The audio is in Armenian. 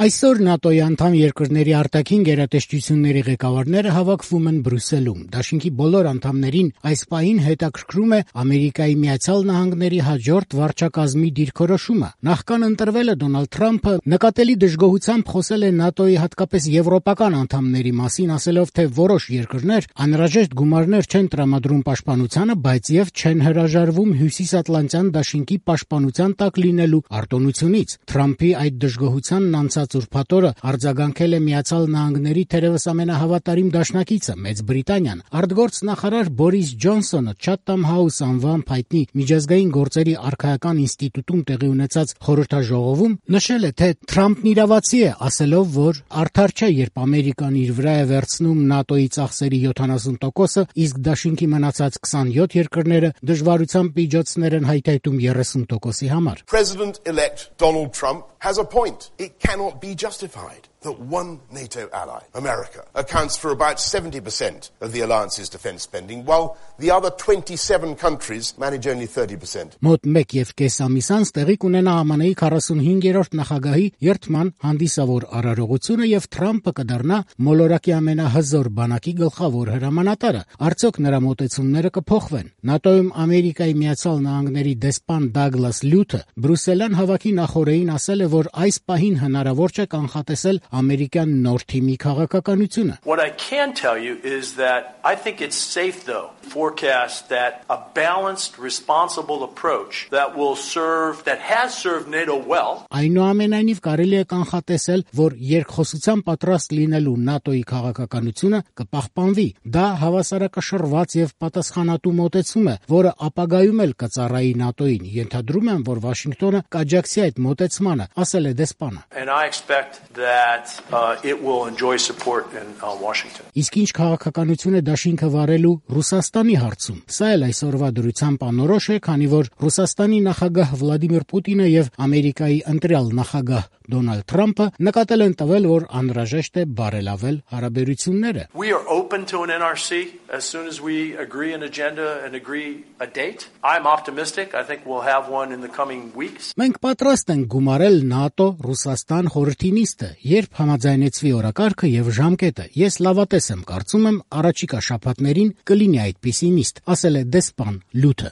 Այսօր ՆԱՏՕ-ի անդամ երկրների արտաքին գերատեսչությունների ղեկավարները հավաքվում են Բրյուսելում։ Դաշինքի բոլոր անդամներին այս պահին հետաքրքրում է Ամերիկայի Միացյալ Նահանգների հաջորդ վարչակազմի դիրքորոշումը։ Նախքան ընտրվելը Դոնալդ Թրամփը նկատելի դժգոհությամբ խոսել է ՆԱՏՕ-ի հատկապես եվրոպական անդամների մասին, ասելով, թե որոշ երկրներ անհրաժեշտ գումարներ չեն տրամադրում պաշտպանությանը, բայց եւ չեն հրաժարվում Հյուսիսատլանտյան դաշինքի պաշտպանության տակ լինելու արտոնությունից։ Թրամփի այդ դժգոհությանն անցած ուրբաթ օրը արձագանքել է Միացյալ Նահանգների թերևս ամենահավատարիմ դաշնակիցը Մեծ Բրիտանիան։ Արտգործ նախարար Բորիս Ջոնսոնը Chatham House անվամբ հայտնի միջազգային գործերի արքայական ինստիտուտում տեղի ունեցած խորհրդաժողովում նշել է, թե Թրամփն իրավացի է, ասելով, որ արդար չէ, երբ Ամերիկան իր վրա է վերցնում ՆԱՏՕ-ի ծախսերի 70%-ը, իսկ դաշինքի մնացած 27 երկրները դժվարությամբ միջոցներ են հայթայթում 30%-ի համար։ President-elect Donald Trump has a point. It cannot be justified that one NATO ally, America, accounts for about 70% of the alliance's defense spending, while the other 27 countries manage only 30%. Մոտ 1.5 ամիս անց տեղի կունենա ԱՄՆ-ի 45-րդ նախագահի երթման հանդիսավոր արարողությունը եւ Թրամփը կդառնա մոլորակի ամենահզոր բանակի գլխավոր հրամանատարը։ Արդյոք նրա մոտեցումները կփոխվեն։ ՆԱՏՕ-ում Ամերիկայի Միացյալ Նահանգների դեսպան Դագլաս Լյութը Բրյուսելյան հավաքի նախօրեին ասել է, որ այս պահին հնարավոր չէ կանխատեսել ամերիկյան նոր թիմի քաղաքականությունը։ What I can tell you is that I think it's safe though forecast that a balanced responsible approach that has served NATO well. Այնուամենայնիվ կարելի է կանխատեսել, որ երկխոսության պատրաստ լինելու ՆԱՏՕ-ի քաղաքականությունը կպահպանվի։ Դա հավասարակշռված եւ պատասխանատու մոտեցում է, որը ապագայում էլ կծառայի ՆԱՏՕ-ին։ Ենթադրում եմ, որ Վաշինգտոնը կաջակցի այդ մոտեցմանը, ասել է դեսպանը։ And I expect that it will enjoy support in Washington. Իսկ ինչ քաղաքականություն է դաշինքը վարելու Ռուսաստանի հարցում։ Սա էլ այսօրվա դրությամբ անորոշ է, քանի որ Ռուսաստանի նախագահ Վլադիմիր Պուտինը եւ Ամերիկայի ընտրյալ նախագահ Դոնալդ Թրամփը նկատել են տվել, որ անհրաժեշտ է բարելավել հարաբերությունները։ We are open to an NRC as soon as we agree an agenda and agree a date. I'm optimistic. I think we'll have one in the coming weeks. Մենք պատրաստ ենք գումարել ՆԱՏՕ Ռուսաստան խորհրդի նիստը, երբ համաձայնեցվի օրակարգը եւ ժամկետը։ Ես լավատես եմ, կարծում եմ, առաջիկա շաբաթներին կլինի այդպիսի նիստ, ասել է դեսպան Լյութը։